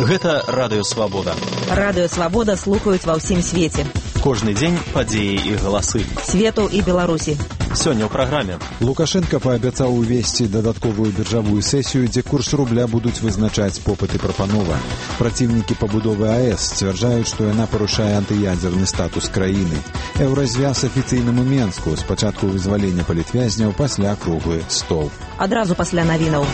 Гэта Радыё Свабода. Радыё Свабода слухаюць ва ўсім свеце. Кожны дзень падзеі і галасы. Свету і Беларусі. Сёння ў праграме. Лукашенко паабяцаў увесці дадатковую біржавую сесію, дзе курс рубля будуць вызначаць попыт і прапанова. Праціўнікі пабудовы АЭС сцвярджаюць, што яна парушае антыядзерны статус краіны. Еўразвяз афіцыйнаму Менску, спачатку вызвалення палітвязняў, пасля круглы стол. Адразу пасля навінаў.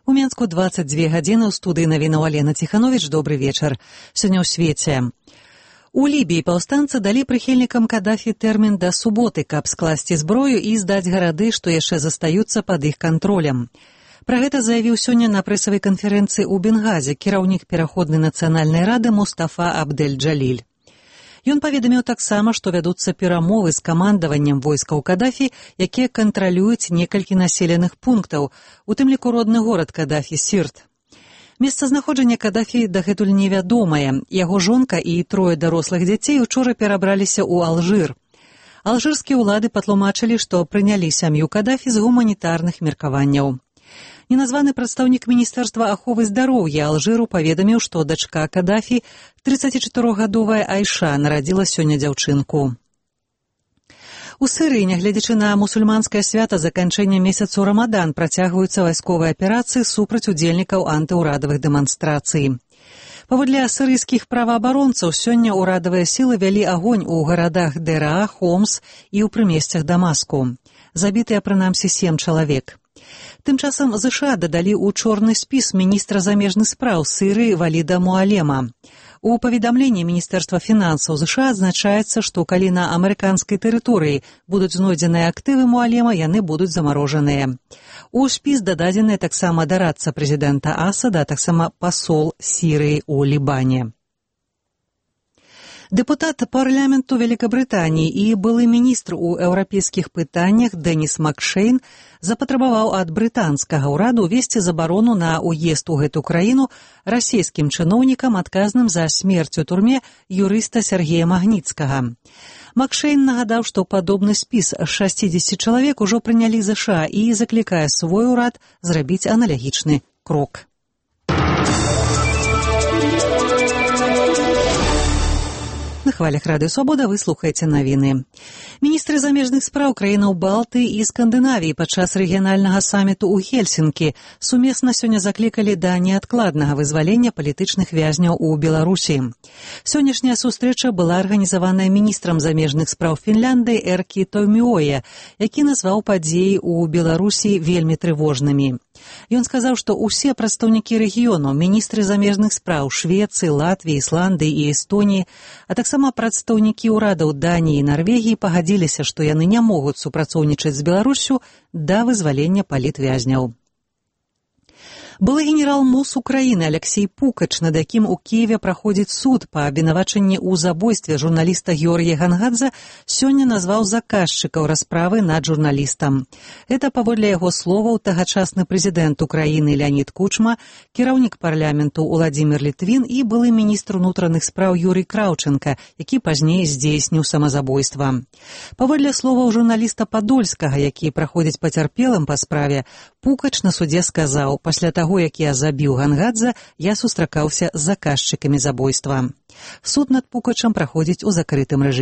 У Менску 22 гадзіны, ў студыі навінаў Алена Ціхановіч. Добры вечар. Сёння ў свеце. У Лібіі паўстанцы далі прыхільнікам Кадафі тэрмін да суботы, каб скласці зброю і здаць гарады, што яшчэ застаюцца пад іх кантролем. Пра гэта заявіў сёння на прэсавай канферэнцыі ў Бенгазе кіраўнік пераходнай нацыянальнай рады Мустафа Абдэль-Джаліль. Ён паведаміў таксама, што вядуцца перамовы з камандаваннем войскаў Кадафі, якія кантралююць некалькі населеных пунктаў, у тым ліку родны горад Кадафі Сірт. Месцазнаходжанне Кадафі дагэтуль невядомае. Яго жонка і 3 дарослых дзяцей учора перабраліся ў Алжыр. Алжырскія ўлады патлумачылі, што прынялі сям'ю Кадафі з гуманітарных меркаванняў. Неназваны прадстаўнік Міністэрства аховы здароўя Алжыру паведаміў, што дачка Кадафі, 34-гадовая Айша, нарадзіла сёння дзяўчынку. У Сірыі, нягледзячы на мусульманскае свята заканчэння месяцу Рамадан, працягваюцца вайсковыя аперацыі супраць удзельнікаў антыўрадавых дэманстрацый. Паводле сірыйскіх праваабаронцаў, сёння ўрадавыя сілы вялі агонь у гарадах Дэраа, Хомс і ў прымесцях Дамаску. Забітыя прынамсі 7 чалавек. Тым часам ЗША дадалі ў чорны спіс міністра замежных спраў Сірыі Валіда Муалема. У паведамленні Міністэрства фінансаў ЗША адзначаецца, што калі на амерыканскай тэрыторыі будуць знойдзеныя актывы Муалема, яны будуць замарожаныя. У спіс дададзены таксама дарадца прэзідэнта Асада, а таксама пасол Сірыі ў Лібане. Дэпутат парламенту Великабрытаніі і былы міністр у еўрапейскіх пытаннях Дэніс Макшейн запатрабаваў ад брытанскага ўраду ўвесці забарону на ўезд у гэту краіну расійскім чыноўнікам, адказным за смерць у турме юрыста Сергея Магніцкага. Макшейн нагадаў, што падобны спіс 60 чалавек ужо прынялі ЗША і заклікае свой урад зрабіць аналагічны крок. На хвалях Радыё Свабода вы слухаеце навіны. Міністры замежных спраў краінаў Балты і Скандынавіі падчас рэгіянальнага саміту ў Хельсінкі сумесна сёння заклікалі да неадкладнага вызвалення палітычных вязняў у Беларусі. Сённяшняя сустрэча была арганізаваная міністрам замежных спраў Фінляндыі Эркі Тойміоя, які назваў падзеі ў Беларусі вельмі трывожнымі. Ён сказаў, што ўсе прадстаўнікі рэгіёну, міністры замежных спраў Швецыі, Латвіі, Ісландыі і Эстоніі, а таксама прадстаўнікі ўрадаў Даніі і Нарвегіі пагадзіліся, што яны не могуць супрацоўнічаць з Беларуссю да вызвалення палітвязняў. Былы генерал МОЗ Украіны Алексей Пукач, над якім у Кіеве праходзіць суд па абвінавачанні ў забойстве журналіста Георгія Гангадзе, сёння назваў заказчыкаў расправы над журналістам. Гэта, паводле яго словаў, тагачасны прэзідэнт Украіны Леонід Кучма, кіраўнік парламенту Уладзімір Літвін і былы міністр унутраных спраў Юрый Краўченка, які пазней здзейсніў самазабойства. Паводле словаў журналіста Падольскага, які праходзіць пацярпелым па справе, Пукач на судзе сказаў: «Пасля таго, як я забіў Гангадзе, я сустракаўся з заказчыкамі забойства». Суд над Пукачам праходзіць у закрытым рэжыме.